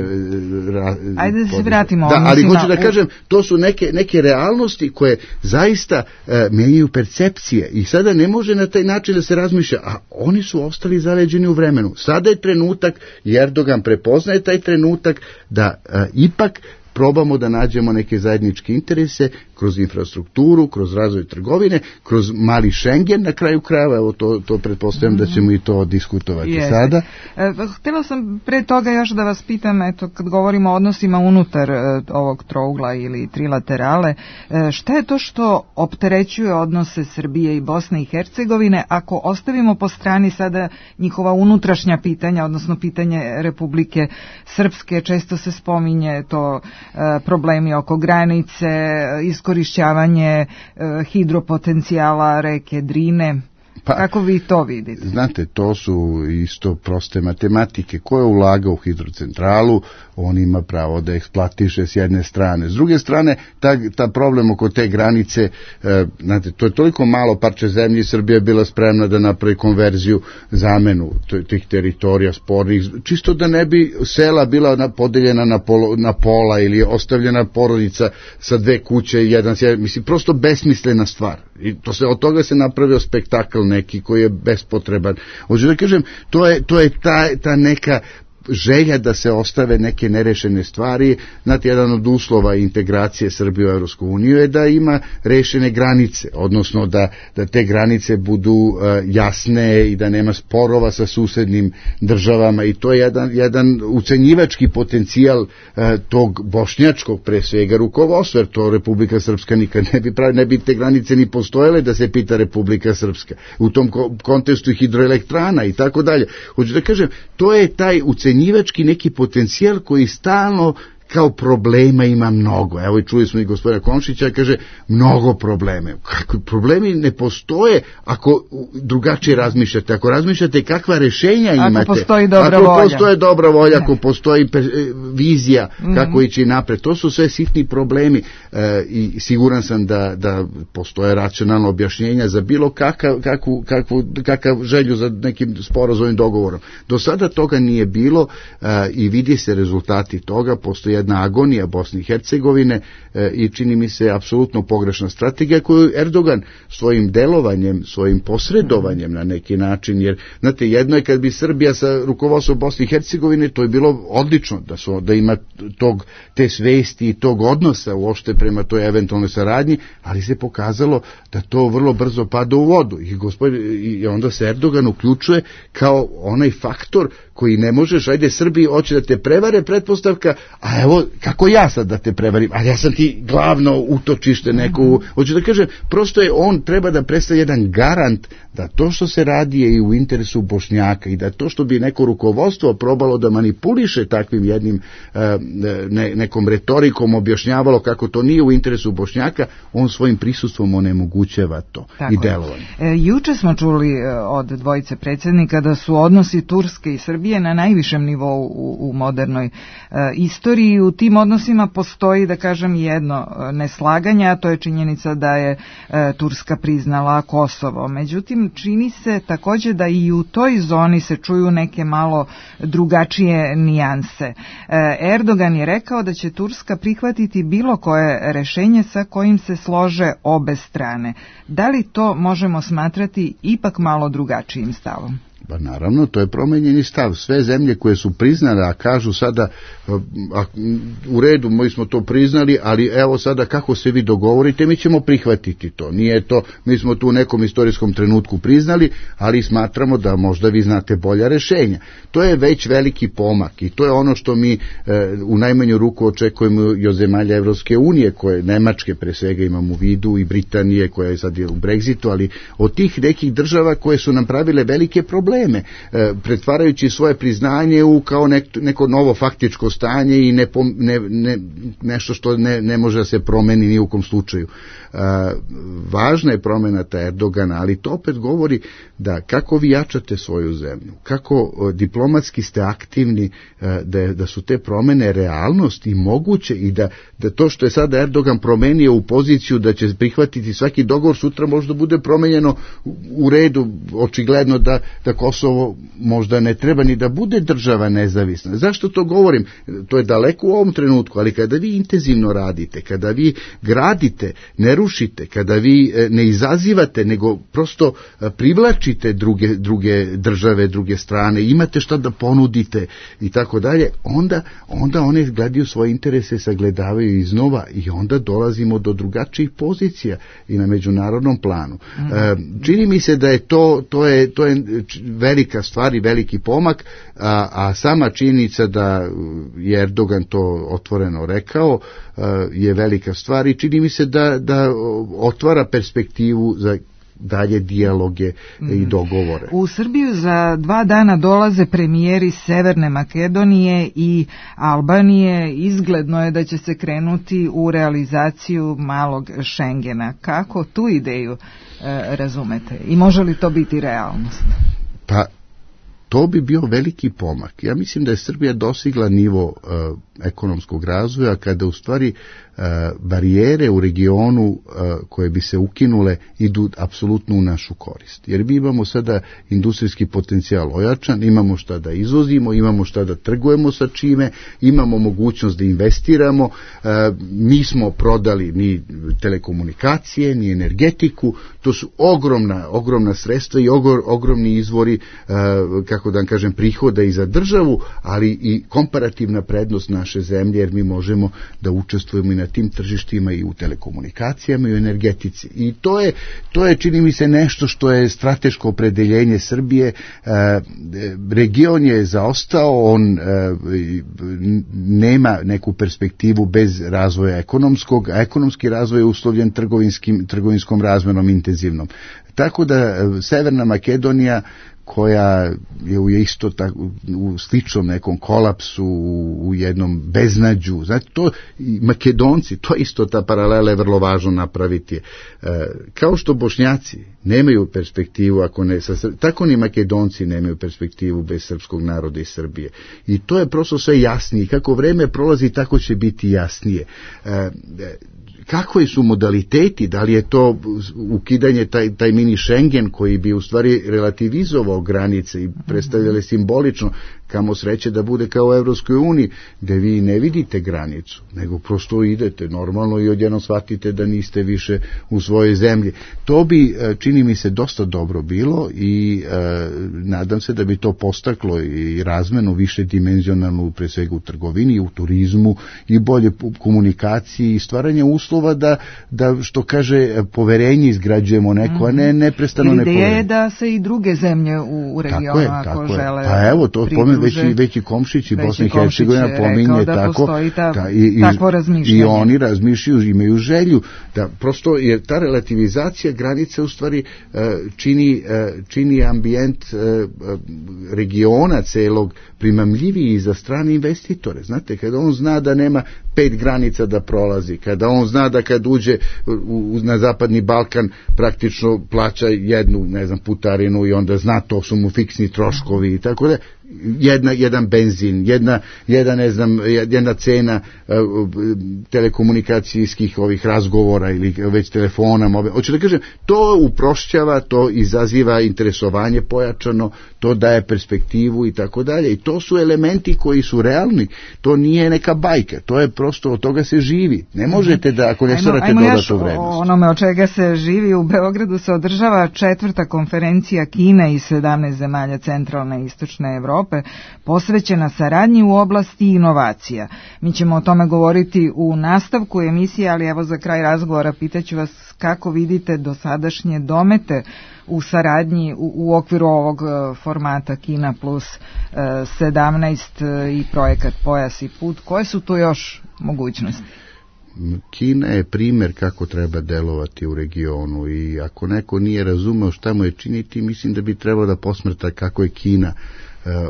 Ajde da se vratimo. Ali hoću da kažem, to su neke realnosti koje zaista menjaju percepcije i sada ne može na taj način da se razmišlja, a oni su ostali zaleđeni u vremenu. Sada je trenutak, i Erdogan prepoznaje taj trenutak, da ipak probamo da nađemo neke zajedničke interese kroz infrastrukturu, kroz razvoj trgovine, kroz mali Schengen, na kraju krajeva, evo to pretpostavljam da ćemo i to diskutovati sada. Htjela sam pre toga još da vas pitam, eto, kad govorimo o odnosima unutar ovog trougla ili trilaterale, šta je to što opterećuje odnose Srbije i Bosne i Hercegovine, ako ostavimo po strani sada njihova unutrašnja pitanja, odnosno pitanje Republike Srpske, često se spominje to problemi oko granice, iskorišćavanje hidropotencijala reke Drine. Kako vi to vidite? Znate, to su isto proste matematike. Ko je ulagao u hidrocentralu, on ima pravo da eksploatiše s jedne strane. S druge strane, ta problem oko te granice, znate, to je toliko malo parče zemlje, Srbija je bila spremna da napravi konverziju, zamenu tih teritorija spornih, čisto da ne bi sela bila podeljena na pola ili ostavljena porodica sa dve kuće i jedan, mislim, prosto besmislena stvar. I od toga se napravio spektakl neki koji je bespotreban. Hoću da kažem, to je ta neka želja da se ostave neke nerešene stvari. Znate, jedan od uslova integracije Srbije u Evropsku uniju je da ima rešene granice, odnosno da te granice budu jasne i da nema sporova sa susednim državama, i to je jedan ucenjivački potencijal tog bošnjačkog pre svega rukovodstva, jer to Republika Srpska nikad ne bi te granice ni postojale da se pita Republika Srpska. U tom kontekstu hidroelektrana i tako dalje. Hoću da kažem, to je taj ucenjivački neki potencijal koji stalno kao problema ima mnogo. Evo i čuli smo i gospodina Komšića, kaže mnogo probleme. Kako problemi ne postoje ako drugačije razmišljate, ako razmišljate kakva rešenja imate, ako postoji dobra volja, postoje dobra volja, ako postoji vizija kako ići napred. To su sve sitni problemi i siguran sam da postoje racionalno objašnjenja za bilo kakav želju za nekim sporazumnim dogovorom. Do sada toga nije bilo i vidi se rezultati toga. Postoji jedna agonija Bosne i Hercegovine i čini mi se apsolutno pogrešna strategija koju Erdogan svojim delovanjem, svojim posredovanjem na neki način, jer znate, jedno je kad bi Srbija sa rukovodstvom Bosne i Hercegovine, to je bilo odlično da ima te svesti i tog odnosa uopšte prema toj eventualnoj saradnji, ali se pokazalo da to vrlo brzo pada u vodu i onda se Erdogan uključuje kao onaj faktor koji ne možeš, ajde Srbiji hoće da te prevare, pretpostavka, a evo kako ja sad da te prevarim, a ja sam ti glavno utočište neko, hoću da kažem, prosto je on treba da predstavlja jedan garant da to što se radi je i u interesu Bošnjaka i da to što bi neko rukovodstvo probalo da manipuliše takvim jednim nekom retorikom objašnjavalo kako to nije u interesu Bošnjaka, on svojim prisustvom onemogućava to i delovanje. Juče smo čuli od dvojice predsjednika da su odnosi Turske i Srbije na najvišem nivou u modernoj istoriji. U tim odnosima postoji, da kažem, jedno neslaganje, a to je činjenica da je Turska priznala Kosovo. Međutim, čini se također da i u toj zoni se čuju neke malo drugačije nijanse. Erdogan je rekao da će Turska prihvatiti bilo koje rešenje sa kojim se slože obe strane. Da li to možemo smatrati ipak malo drugačijim stavom? Pa naravno, to je promenjeni stav. Sve zemlje koje su priznale, a kažu sada u redu, mi smo to priznali, ali evo sada kako se vi dogovorite, mi ćemo prihvatiti to. Nije to, mi smo tu u nekom istorijskom trenutku priznali, ali smatramo da možda vi znate bolja rešenja. To je već veliki pomak i to je ono što mi u najmanju ruku očekujemo i od zemalja Evropske unije, koje Nemačke pre svega imamo u vidu, i Britanije koja je sad u Brexitu, ali od tih nekih država koje su nam pravile velike probleme, pretvarajući svoje priznanje u kao neko novo faktičko stanje i nešto što ne može da se promeni ni u kom slučaju. Važna je promena ta Erdogana, ali to opet govori da kako vi jačate svoju zemlju, kako diplomatski ste aktivni, da su te promene realnost i moguće i da to što je sada Erdogan promenio u poziciju da će prihvatiti svaki dogovor, sutra možda bude promenjeno u redu, očigledno da Kosovo možda ne treba ni da bude država nezavisna. Zašto to govorim? To je daleko u ovom trenutku, ali kada vi intenzivno radite, kada vi gradite, ne rušite, kada vi ne izazivate, nego prosto privlačite druge države, druge strane, imate šta da ponudite i tako dalje, onda one gledaju svoje interese, sagledavaju iznova i onda dolazimo do drugačijih pozicija i na međunarodnom planu. Čini mi se da je to je velika stvar i veliki pomak, a sama činjenica da je Erdogan to otvoreno rekao je velika stvar i čini mi se da otvara perspektivu za dalje dijaloge i dogovore. U Srbiju za 2 dana dolaze premijeri Severne Makedonije i Albanije. Izgledno je da će se krenuti u realizaciju malog Šengena. Kako tu ideju razumete? I može li to biti realnost? Pa to bi bio veliki pomak. Ja mislim da je Srbija dosigla nivo ekonomskog razvoja kada u stvari barijere u regionu koje bi se ukinule idu apsolutno u našu korist. Jer mi imamo sada industrijski potencijal ojačan, imamo šta da izvozimo, imamo šta da trgujemo sa čime, imamo mogućnost da investiramo, nismo prodali ni telekomunikacije, ni energetiku, to su ogromna sredstva i ogromni izvori, kako da vam kažem, prihoda i za državu, ali i komparativna prednost naše zemlje, jer mi možemo da učestvujemo i na tim tržištima i u telekomunikacijama i u energetici. I to je čini mi se nešto što je strateško opredeljenje Srbije. Region je zaostao, on nema neku perspektivu bez razvoja ekonomskog, a ekonomski razvoj je uslovljen trgovinskom razmenom intenzivnom. Tako da Severna Makedonija, koja je isto u sličnom nekom kolapsu, u jednom beznađu, znate, to i Makedonci, to isto, ta paralela je vrlo važno napraviti. Kao što Bošnjaci nemaju perspektivu, tako ni Makedonci nemaju perspektivu bez srpskog naroda i Srbije. I to je prosto sve jasnije. Kako vreme prolazi, tako će biti jasnije. Kakvi su modaliteti, da li je to ukidanje taj mini Schengen koji bi u stvari relativizovao granice i predstavljali simbolično, kamo sreće da bude kao u Evropskoj uniji, gde vi ne vidite granicu, nego prosto idete normalno i odjednom shvatite da niste više u svojoj zemlji. To bi, čini mi se, dosta dobro bilo i nadam se da bi to postaklo i razmenu više dimenzionalnu, pre svega u trgovini i u turizmu i bolje komunikaciji i stvaranje uslova da što kaže, poverenje izgrađujemo neko, a ne neprestano nepoverenje. Ideja je da se i druge zemlje u regionu, ako žele, pa evo, to veći Komšić i Bosna i Hercegovina pominje tako, takvo razmišljanje. I oni razmišljaju, imaju želju da prosto je ta relativizacija granice u stvari čini ambijent regiona celog primamljiviji za strane investitore. Znate, kada on zna da nema 5 granica da prolazi, kada on zna da kad uđe na Zapadni Balkan praktično plaća jednu, putarinu i onda zna, to su mu fiksni troškovi i tako da, jedan benzin, jedna cena telekomunikacijskih ovih razgovora ili već telefona. Hoću da kažem, to uprošćava, to izaziva interesovanje pojačano, to daje perspektivu i tako dalje. I to su elementi koji su realni. To nije neka bajka, to je prosto, od toga se živi. Ne možete da, ako ne stvarate dodatu vrednost. Onome od čega se živi, u Beogradu se održava 4. konferencija Kine i 17 zemalja centralne i istočne Evrope, posvećena saradnji u oblasti inovacija. Mi ćemo o tome govoriti u nastavku emisije, ali evo za kraj razgovora pitaću vas kako vidite dosadašnje domete u saradnji u okviru ovog formata Kina plus 17 i projekat Pojas i put. Koje su tu još mogućnosti? Kina je primjer kako treba delovati u regionu i ako neko nije razumeo šta mu je činiti, mislim da bi trebalo da posmrta kako je Kina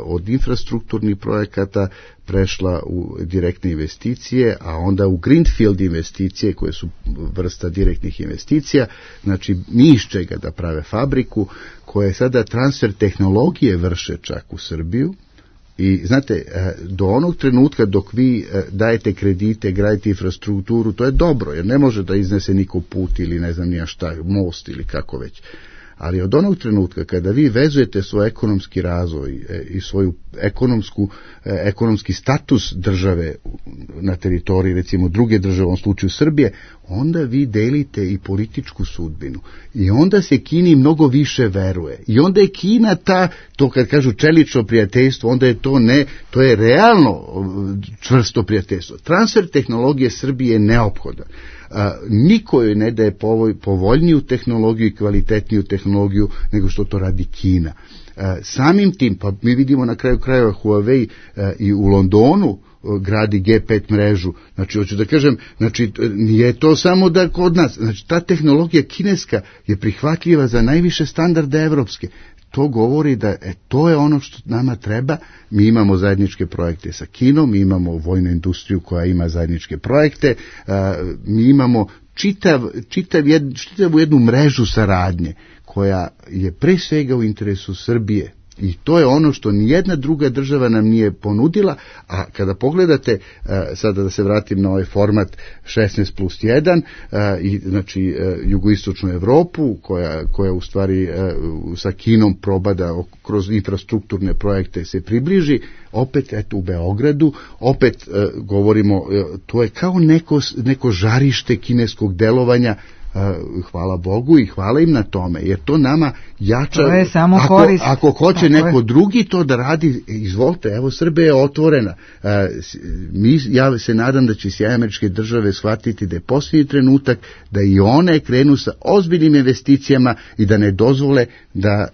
od infrastrukturnih projekata prešla u direktne investicije, a onda u greenfield investicije koje su vrsta direktnih investicija, znači ni iz čega da prave fabriku, koje sada transfer tehnologije vrše čak u Srbiju. I znate, do onog trenutka dok vi dajete kredite, gradite infrastrukturu, to je dobro, jer ne može da iznese niko put ili ne znam nija šta, most ili kako već. Ali od onog trenutka kada vi vezujete svoj ekonomski razvoj i svoju ekonomski status države na teritoriji, recimo druge države, u ovom slučaju Srbije, onda vi delite i političku sudbinu. I onda se Kini mnogo više veruje. I onda je Kina to kad kažu čelično prijateljstvo, onda je to je realno čvrsto prijateljstvo. Transfer tehnologije Srbije je neophodan. Niko joj ne daje povoljniju tehnologiju i kvalitetniju tehnologiju nego što to radi Kina. Samim tim, pa mi vidimo na kraju krajeva Huawei i u Londonu gradi G5 mrežu. Znači, hoću da kažem, znači, nije to samo da kod nas, znači, ta tehnologija kineska je prihvatljiva za najviše standarde evropske. To govori da to je ono što nama treba. Mi imamo zajedničke projekte sa Kinom, mi imamo vojnu industriju koja ima zajedničke projekte, mi imamo čitavu jednu mrežu saradnje koja je pre svega u interesu Srbije. I to je ono što nijedna druga država nam nije ponudila, a kada pogledate, sada da se vratim na ovaj format 16+1, i znači jugoistočnu Evropu, koja u stvari sa Kinom proba da kroz infrastrukturne projekte se približi, opet u Beogradu, opet govorimo, to je kao neko žarište kineskog delovanja, hvala Bogu i hvala im na tome, jer to nama jača. To je samo ako hoće neko drugi to da radi, izvolite, evo Srbija je otvorena. Ja se nadam da će SAD shvatiti da je posljednji trenutak da i one krenu sa ozbiljnim investicijama i da ne dozvole da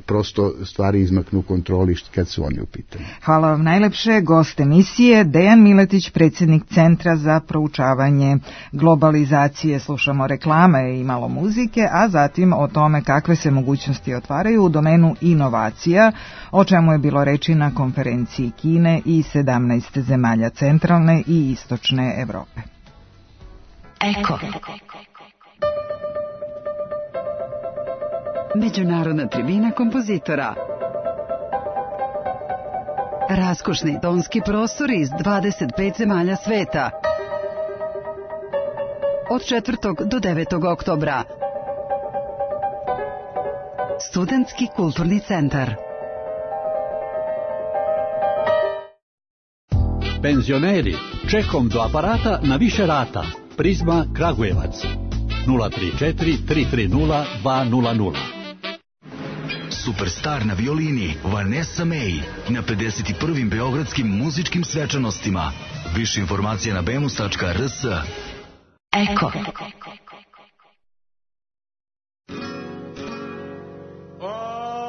prosto stvari izmaknu kontroli kad su oni u pitanju. Hvala vam najlepše. Gost emisije Dejan Miletić, predsjednik Centra za proučavanje globalizacije. Slušamo reklame i malo muzike, a zatim o tome kakve se mogućnosti otvaraju u domenu inovacija, o čemu je bilo reči na konferenciji Kine i 17 zemalja centralne i istočne Evrope. Eko. Međunarodna tribina kompozitora. Raskošni tonski prostori iz 25 zemalja sveta. Od 4. do 9. oktobra. Studentski kulturni centar. Penzioneri, čekom do aparata na više rata. Prizma Kragujevac 034 330 200. Superstar na violini Vanessa May na 51. beogradskim muzičkim svečanostima. Više informacija na bemus.rs. Eko. All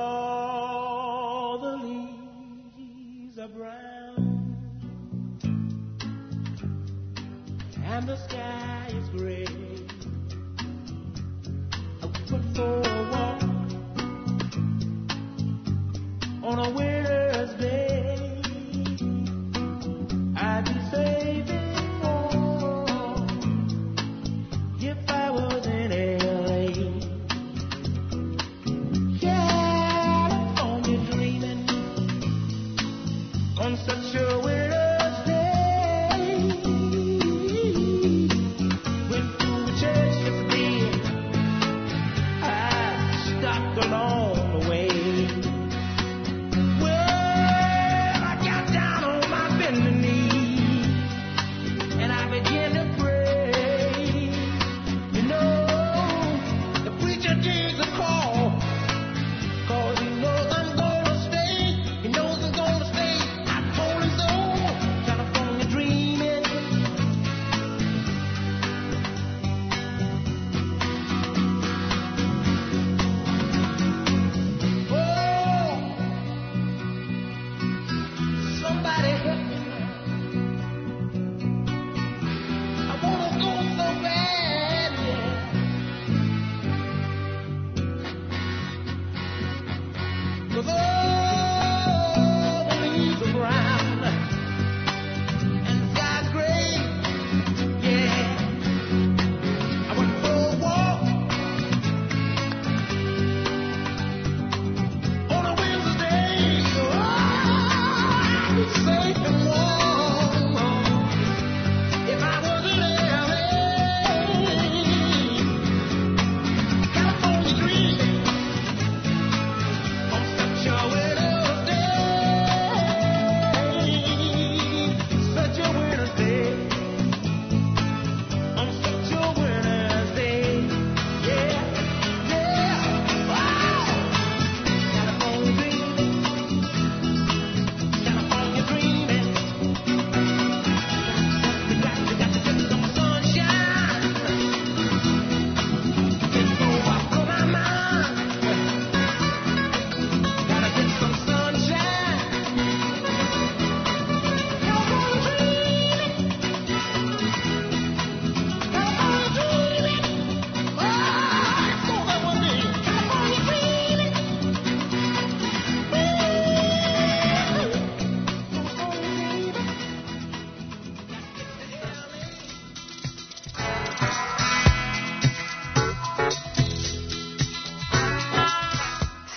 the leaves are brown and the sky is gray. I went for a walk on a winter's day. I'd be saving more if I was in LA. California dreaming on such a winter's day. Went to a church yesterday. I stopped along the way. Cause he knows I'm gonna stay. He knows I'm gonna stay. I told him so.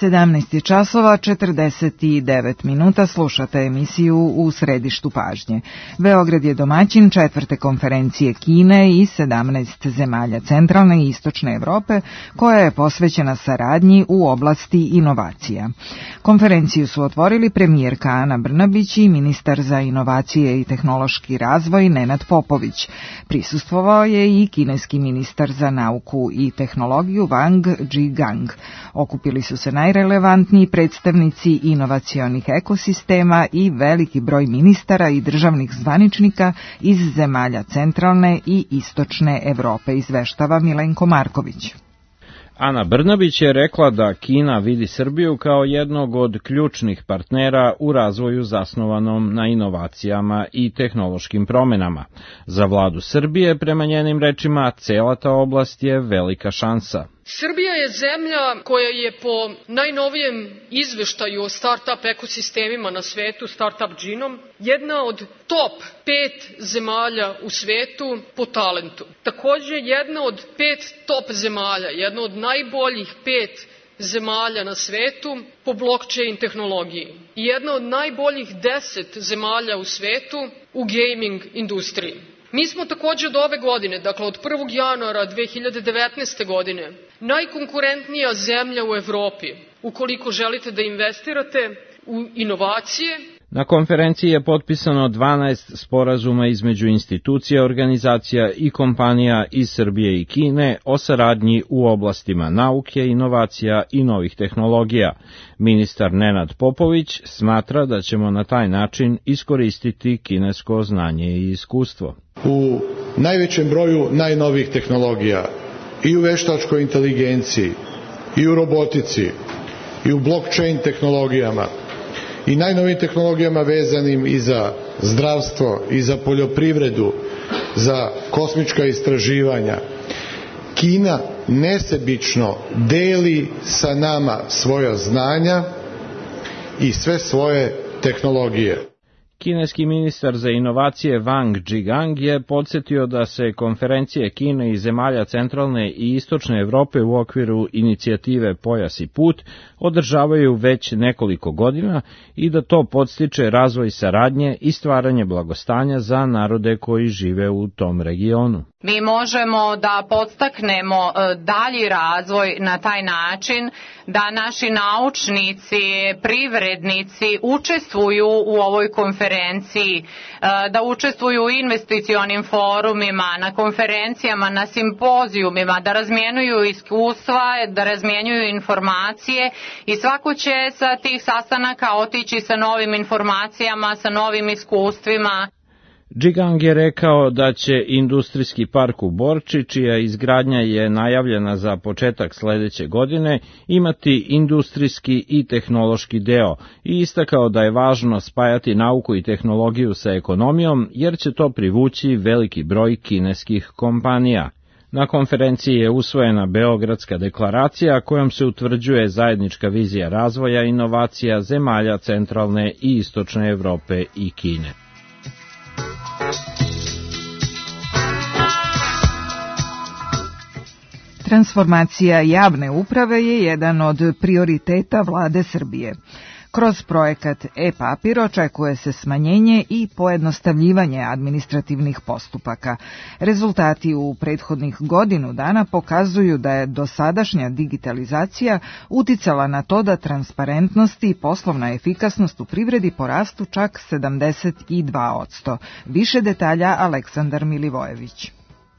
17 časova 49 minuta, slušate emisiju U središtu pažnje. Beograd je domaćin 4. konferencije Kine i 17 zemalja centralne i istočne Evrope koja je posvećena saradnji u oblasti inovacija. Konferenciju su otvorili premijerka Ana Brnabić i ministar za inovacije i tehnološki razvoj Nenad Popović. Prisustvovao je i kineski ministar za nauku i tehnologiju Wang Zhigang. Okupili su se najrelevantniji predstavnici inovacionih ekosistema i veliki broj ministara i državnih zvaničnika iz zemalja centralne i istočne Evrope, izveštava Milenko Marković. Ana Brnabić je rekla da Kina vidi Srbiju kao jednog od ključnih partnera u razvoju zasnovanom na inovacijama i tehnološkim promenama. Za vladu Srbije, prema njenim rečima, cela ta oblast je velika šansa. Srbija je zemlja koja je po najnovijem izveštaju o start-up ekosistemima na svetu, Startup Genome, jedna od top 5 zemalja u svetu po talentu. Takođe, jedna od 5 top zemalja, jedna od najboljih 5 zemalja na svetu po blockchain tehnologiji i jedna od najboljih 10 zemalja u svetu u gaming industriji. Mi smo takođe od ove godine, dakle od 1. januara 2019. godine, najkonkurentnija zemlja u Evropi ukoliko želite da investirate u inovacije. Na konferenciji je potpisano 12 sporazuma između institucija, organizacija i kompanija iz Srbije i Kine o saradnji u oblastima nauke, inovacija i novih tehnologija. Ministar Nenad Popović smatra da ćemo na taj način iskoristiti kinesko znanje i iskustvo. U najvećem broju najnovijih tehnologija i u veštačkoj inteligenciji i u robotici i u blockchain tehnologijama i najnovijim tehnologijama vezanim i za zdravstvo i za poljoprivredu, za kosmička istraživanja. Kina nesebično deli sa nama svoja znanja i sve svoje tehnologije. Kineski ministar za inovacije Wang Zhigang je podsjetio da se konferencije Kine i zemalja centralne i istočne Evrope u okviru inicijative Pojas i put održavaju već nekoliko godina i da to podstiče razvoj saradnje i stvaranje blagostanja za narode koji žive u tom regionu. Mi možemo da podstaknemo dalji razvoj na taj način da naši naučnici, privrednici učestvuju u ovoj konferenciji, da učestvuju u investicionim forumima, na konferencijama, na simpozijumima, da razmjenjuju iskustva, da razmjenjuju informacije i svako će sa tih sastanaka otići sa novim informacijama, sa novim iskustvima. Zhigang je rekao da će industrijski park u Borči, čija izgradnja je najavljena za početak sledeće godine, imati industrijski i tehnološki deo i istakao da je važno spajati nauku i tehnologiju sa ekonomijom jer će to privući veliki broj kineskih kompanija. Na konferenciji je usvojena Beogradska deklaracija kojom se utvrđuje zajednička vizija razvoja inovacija zemalja centralne i istočne Evrope i Kine. Transformacija javne uprave je jedan od prioriteta vlade Srbije. Kroz projekat e-papir očekuje se smanjenje i pojednostavljivanje administrativnih postupaka. Rezultati u prethodnih godinu dana pokazuju da je dosadašnja digitalizacija uticala na to da transparentnost i poslovna efikasnost u privredi porastu čak 72%. Više detalja Aleksandar Milivojević.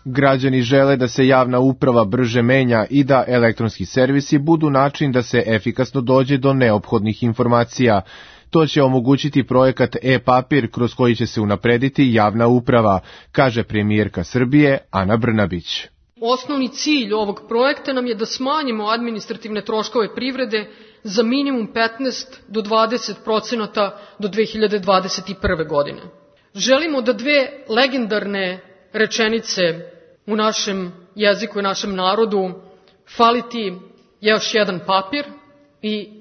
Građani žele da se javna uprava brže menja i da elektronski servisi budu način da se efikasno dođe do neophodnih informacija. To će omogućiti projekat e-papir kroz koji će se unaprediti javna uprava, kaže premijerka Srbije Ana Brnabić. Osnovni cilj ovog projekta nam je da smanjimo administrativne troškove privrede za minimum 15 do 20% do 2021. godine. Želimo da dve legendarne rečenice u našem jeziku i našem narodu fali ti još jedan papir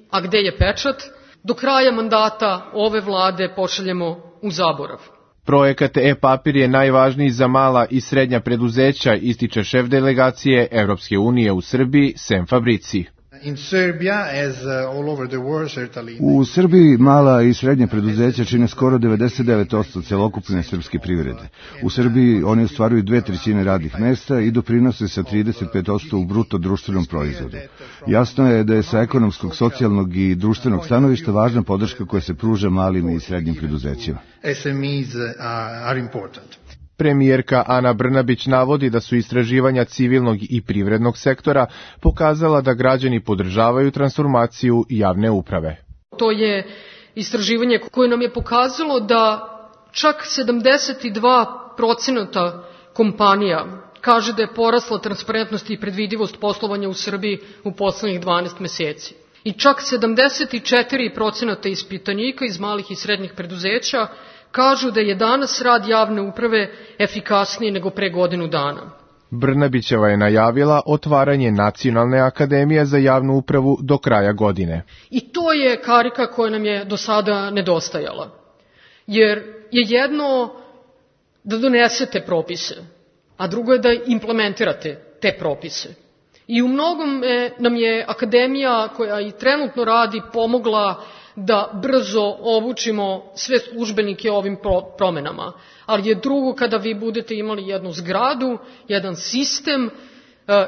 a gde je pečat, do kraja mandata ove vlade pošaljemo u zaborav. Projekat e-papir je najvažniji za mala i srednja preduzeća, ističe šef delegacije Evropske unije u Srbiji Sem Fabrici. U Srbiji mala i srednje preduzeća čine skoro 99% celokupne srpske privrede. U Srbiji oni ostvaruju 2/3 radnih mesta i doprinose sa 35% u bruto društvenom proizvodu. Jasno je da je sa ekonomskog, socijalnog i društvenog stanovišta važna podrška koja se pruža malim i srednjim preduzećima. Premijerka Ana Brnabić navodi da su istraživanja civilnog i privrednog sektora pokazala da građani podržavaju transformaciju javne uprave. To je istraživanje koje nam je pokazalo da čak 72% kompanija kaže da je porasla transparentnost i predvidivost poslovanja u Srbiji u poslednjih 12 meseci. I čak 74% ispitanika iz malih i srednjih preduzeća kažu da je danas rad javne uprave efikasniji nego pre godinu dana. Brnabićeva je najavila otvaranje Nacionalne akademije za javnu upravu do kraja godine. I to je karika koja nam je do sada nedostajala. Jer je jedno da donesete propise, a drugo je da implementirate te propise. I u mnogom nam je akademija koja i trenutno radi pomogla da brzo obučimo sve službenike ovim promenama. Ali je drugo kada vi budete imali jednu zgradu, jedan sistem,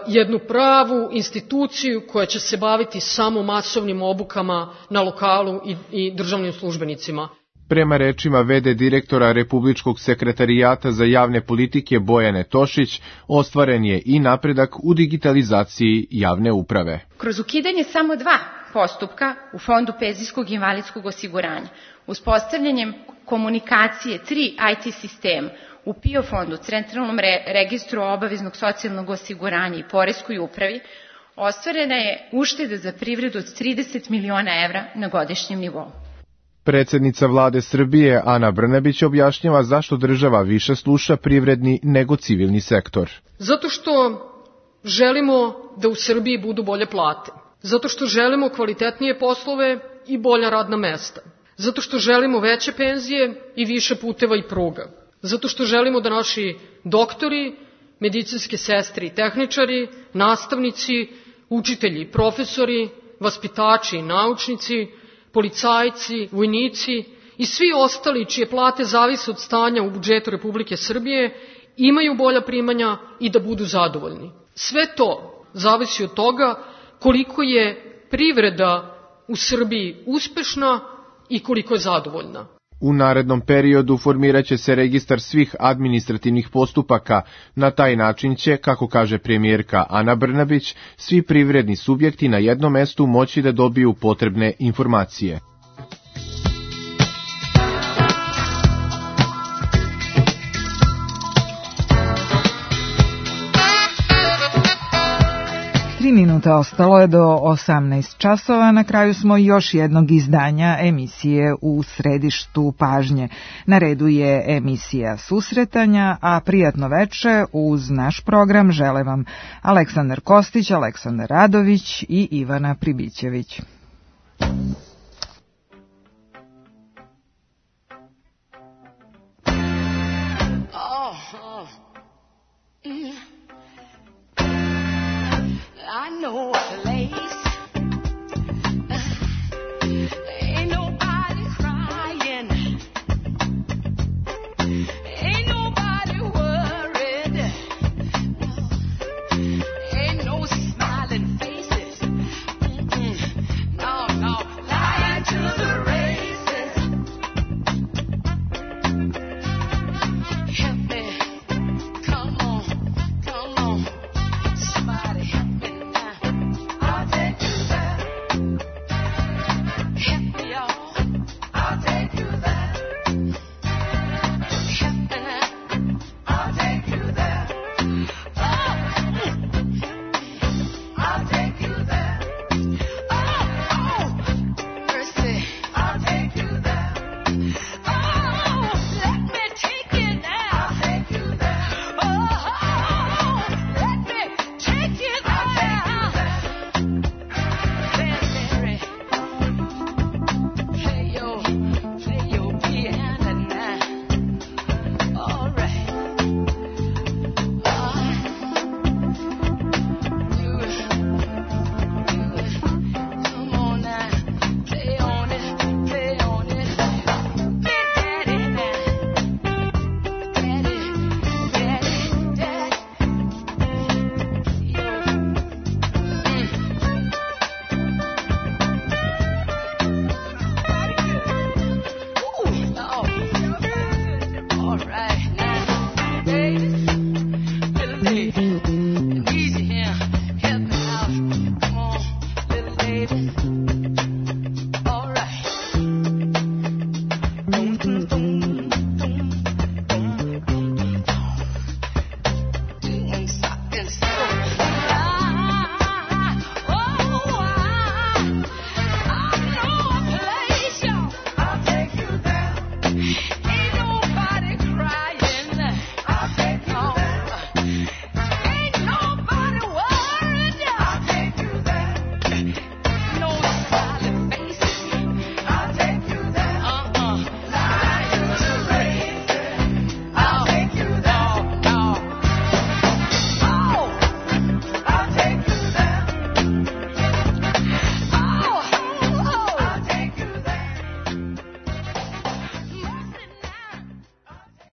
jednu pravu instituciju koja će se baviti samo masovnim obukama na lokalu i državnim službenicima. Prema rečima v.d. direktora Republičkog sekretarijata za javne politike Bojane Tošić, ostvaren je i napredak u digitalizaciji javne uprave. Kroz ukidanje samo 2 postupka u Fondu penzijskog i invalidskog osiguranja, uspostavljanjem komunikacije 3 IT sistema u PIO fondu, Centralnom registru obaveznog socijalnog osiguranja i Poreskoj upravi, ostvarena je ušteda za privredu od 30 miliona evra na godišnjem nivou. Predsednica vlade Srbije Ana Brnabić objašnjava zašto država više sluša privredni nego civilni sektor. Zato što želimo da u Srbiji budu bolje plate. Zato što želimo kvalitetnije poslove i bolja radna mesta. Zato što želimo veće penzije i više puteva i pruga. Zato što želimo da naši doktori, medicinske sestre i tehničari, nastavnici, učitelji, profesori, vaspitači i naučnici, policajci, vojnici i svi ostali čije plate zavise od stanja u budžetu Republike Srbije imaju bolja primanja i da budu zadovoljni. Sve to zavisi od toga koliko je privreda u Srbiji uspešna i koliko je zadovoljna. U narednom periodu formirat će se registar svih administrativnih postupaka. Na taj način će, kako kaže premijerka Ana Brnabić, svi privredni subjekti na jednom mestu moći da dobiju potrebne informacije. Minuta ostalo je do 18 časova. Na kraju smo još jednog izdanja emisije U središtu pažnje. Na redu je emisija Susretanja, a prijatno veče uz naš program žele vam Aleksandar Kostić, Aleksandar Radović i Ivana Pribićević. I know a place. Ain't nobody crying. Ain't nobody worried. Ain't no smiling faces. No, no, lying to the races. Help me. Come on, come on. Somebody help me. Mm-hmm.